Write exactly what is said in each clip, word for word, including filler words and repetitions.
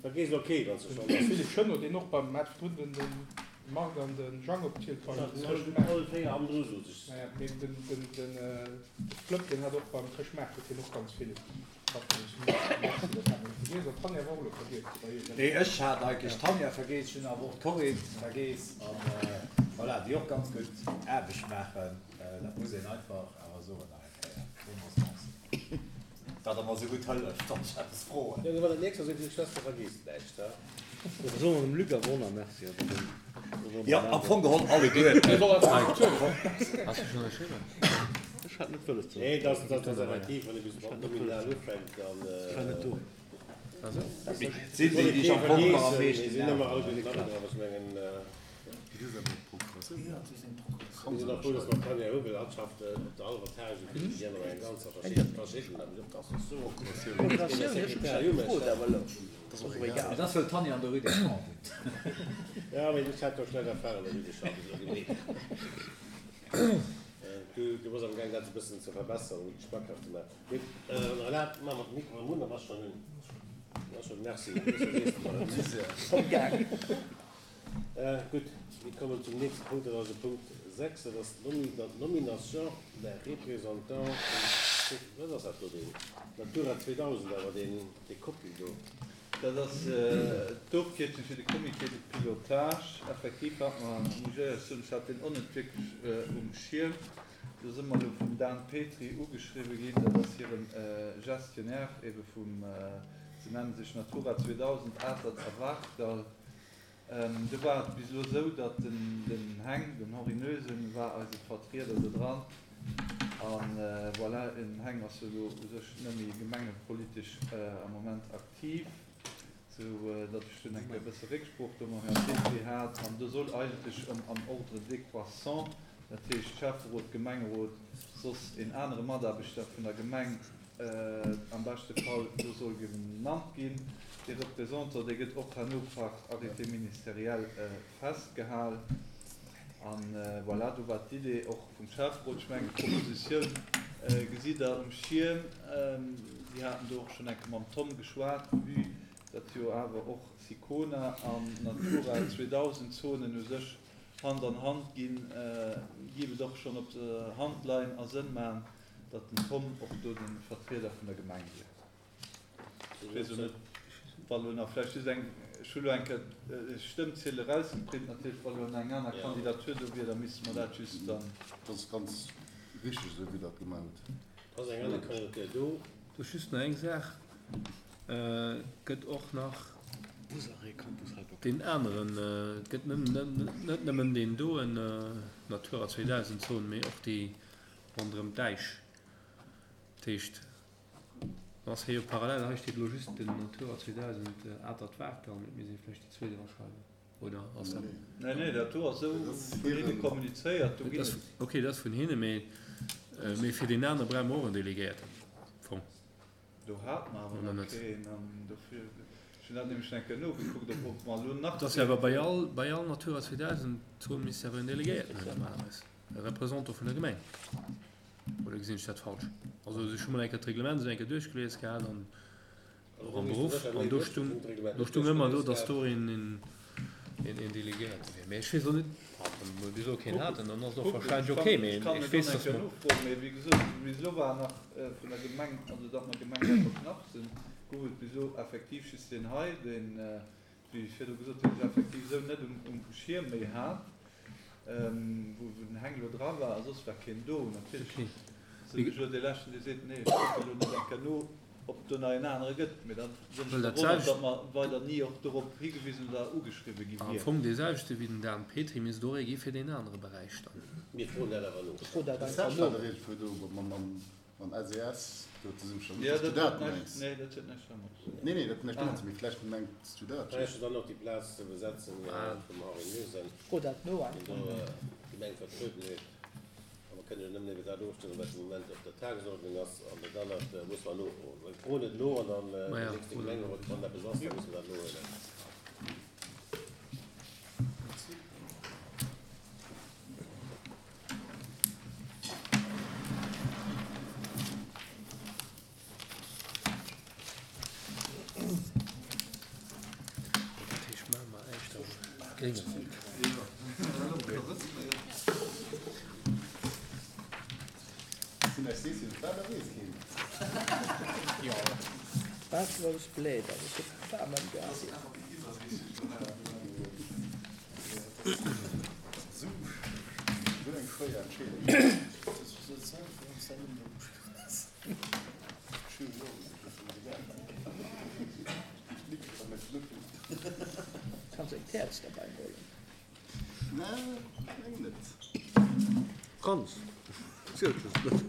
Vergees elo kee, wann s de schonn De Philippe Chenot, deen och beim hat virdrun den de Marc an de Jang opgezielt beim Chrëschtmaart. All véier hannendru sot ech. Naja, mee den den den de Flëpp, deen hat och beim Chrëschtmaart huet hien och ganz vill Schaffen. Ech hunn Merci, dat hat mer net vergiess. An d'Tanja war och elo vergiess bei iech. Nee, ech hat eigentlech d'Tanja vergeess, ech hunn awer och d'Corinne vergeess an voilà, déi och ganz gutt Aarbecht maachen. Dat muss een einfach awer soen nach eng Kéier. Villmools Merci. Datt der mer esou gutt hëlleft, wann ech eppes froen. Jo, wann dat nächst ass, huet Schwester vergeesst näischt, ha? Da soe mer dem Luc awer och nach Merci. Jo, am Fong geholl alleguerten. Has du schonn ënnerschriwwen? Ech hat net wëlles ze. Nee, dat ass effektiv, wann ee bis mat nominal ufänkt, dann. Ech war net do. Et sinn déi, déi ech am Fong nach am meeschten Mir sinn ëmmer all gutt mat dran, ech mengen. Mir sinn och frou, dass mer d'Tanja Huwel hatt schafft op der hallwer Tâche esou vill wéi déi aner eng ganzer verschidden Et ass wëll d'Tanja an der Rue des Champs wunnt. Jo, mee ech hat do schlecht Erfahrungen an der Rue des Champs, esou gemeet. Du bass am gaang dat e bëssen ze verbessern, méi schmackhaft ze maachen. Mee erlaabt, maache mer de Mikro erëm un, da bass schonn un. Ass schonn, merci. Gutt, mir kommen zum nächste Punkt, dat ass de Punkt sechs, dat ass d'Nomination d'un représentant vum, wat ass dat do, deen Natura zweedausend awer, deen, dee Copie do? Dat ass d'Ofkierzung fir de Comité de pilotage. Effektiv hat mer, muss ech éierlech soen, ech hat deen och net wierklech um Schierm. Do si mer elo vum Dan Petry ugeschriwwe ginn, dat ass hire Gestionnaire ebe vum, se nenne sech Natura zweedausend Atert a Wartdall. Do war et bis elo esou, datt den Heng, den Henri Noesen, war eise Vertrieder do dran. A voilà, den Heng ass jo elo u sech net méi gemengepolitesch am Moment aktiv, sou datt ech dunn eng Kéier e bësse Récksprooch do mam Här Petry hat. An do soll eigentlech ëm am Ordre décroissant, dat heescht Schäfferot, Gemengerot, soss een anere Mataarbechter vun der Gemeng, am beschte Fall do soll genannt ginn. Dee Représentant, dee gëtt och herno par arrêté ministériel festgehal. A voilà, do war d'Idee och vum Schäfferot. Ech mengen, d'Propositioun gesitt Der um Schierm. Si haten do och schonn eng Kéier mam Tom geschwat, vue datt jo awer och Sicona an Natura zweedausend Zonen u sech Hand an Hand ginn, géif et och schonn op der Hand leien a Sënn maachen, datt den Tom och do de Vertrieder vun der Gemeng wier. Ech weess elo net, wa lo nach vläicht just eng, ech hu lo eng Kéier d'Stëmmziel erausgeprint natierlech, wa lo nach eng aner Kandidatur do wier, da misste mer dat just dann. Dat ass ganz richteg esou, wéi Der et gemaach hutt. Ass eng aner Kandidatur do? Do just nach eng Saach, Et gëtt och nach deen aneren, et gëtt net nëmmen deen doen Natura zweedausend Zon, mee och déi ronderëm d'Äisch. Dat heescht, dann ass hei jo parallel, hei steet elo just den Natura zweedausend Atert-Waagdall, mee et misst ee vläicht déi zweet eraschreiwen, oder ass dat? Nee, nee, dat do ass esou vun hinne kommunizéiert, do ginn et. Okay, dat ass vun hinne, mee fir deen anere brauche mer och en Delegéierten am Fong. Do hate mer awer nach keen an dofir, ech hunn dat nämlech eng Kéier nogekuckt, ob ob mer elo nach Et ass jo awer bei all, bei all Natura zweedausend Zon misst jo awer en Delegéierten hunn normalerweis, e Représentant vun der Gemeng. Oder gesinn ech dat falsch? Also ech hu mol eng Kéier d'Reglement esou eng Kéier duerchgelies gehat an och am Beruff an do stung, do stung ëmmer do, datt do een, een, een Delegéierte wier. Mee ech weess och net, wann mer bis elo keen haten, dann ass et och wahrscheinlech ok, mee Ech kann ech et weess, och datt eng Kéier mer. nofroen, mee wéi gesot, bis elo war nach vun der Gemeng, also datt mer Gemeng selwer knapp sinn, gouf et bis elo effektiv just deen hei, deen, wéi ech virdru gesot hunn, ech effektiv esou net um, um Schierm méi hat, wou den Heng elo dra war, a soss war keen do. Natierlech sinn ech elo dee Leschten, dee seet, nee, ech kucke elo net eng Kéier no, ob do nach een anere gëtt, mee da sinn ech Well dat verwonnert, selwecht. datt mer weider ni och dorop higewisen oder ugeschriwwe gi Am wieren. Fong dee selwechte wéi den Dan Petry misst och ee gi fir deen anere Beräich dann. Mir froen dat awer no. Fro dat De einfach Serge no. hat iergendwou do mam S E S do zesummeschaffen. Jo, Net, dass du dat huet dat näischt, mengs. nee, dat huet näischt domat ze dinn. Nee, nee, dat huet näischt domat Ah. ze dinn, mee vläicht mengs du dat Vläicht just. ass dann och déi Plaz ze besetzen vum Henri Noesen, Fro dat no deen einfach. do d'Gemeng vertrueden huet. A mer kënnen jo nëmmen iwwer dat ofstëmmen, wat de Moment op der Tagesordnung ass. An dat anert musse mer nofroen. Mir froen et no an dann de Maja, nächste oder? Gemengerot, wann eppes ass, da musse mer dat nohuelen. Gréngewald. Waasserlous Bläder, dat gëtt waarm am Gas. Kanns eng Käerz derbäi huelen? Franz, zielt just net.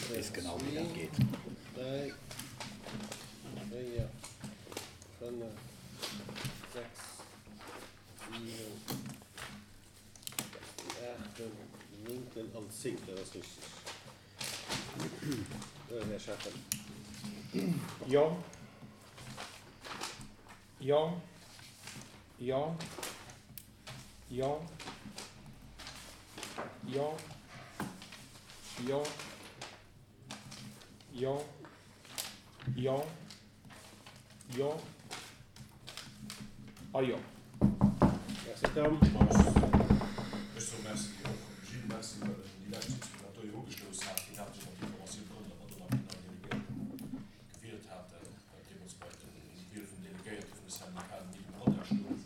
Weess genau wéi dat geet. Dräi, véier, fënnef, sechs, siwen, aachten, néngten an zéngten, dat ass richteg. Här Schäffen. Jo. Jo. Jo. Jo. Jo. Jo. Jo. Jo. Jo. A jo. Merci Tom. Ech soe Merci och Gilles, Merci well en déi lescht Sitzung dat do jo ugestouss hat. Hien hat jo mat d'Informatioun komm, datt mer do nach keen neien Delegéierten gewielt haten, wat deemools bei de Wiel vum Delegéierte vun de Syndicaten ni um Radar stoung.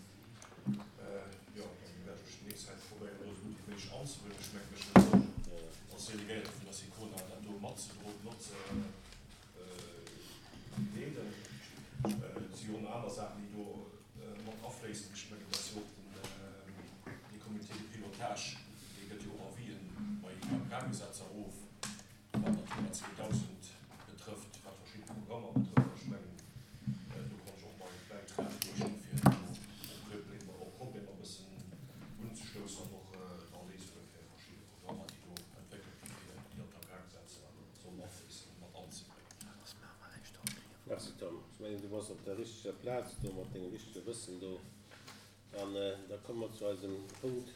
Jo, dann wäert ech déi nächst Zäit probéieren, do esou gutt wéi méiglech anzewuelen. Ech mengen, ech wëll soen, als Delegéierte vun der SICONA dat do matzedroen, matzeleeden. Et si jo och nach aner Saachen, déi do mat afléissen. Ech mengen, dass jo och den, dee Comité de pilotage, dee gëtt jo och Avisen bei Agrargesetzer of, wat Natura zweedausend betrëfft, wat verschidde Programmer betrëfft. Ech mengen, do kann ech och mäi Bäitrag leeschten, fir do och Problemer, och Problemer e bëssen unzestoussen an och da Léisunge fir verschidde Programmer, déi do entwéckelt gi fir déi an d'Agrargesetzer sollen afléissen, mat anzebréngen. Merci Tom. Ech mengen, du bass op der richteger Plaz do mat dengem richtege Wëssen do. An da komme mer zu eisem Punkt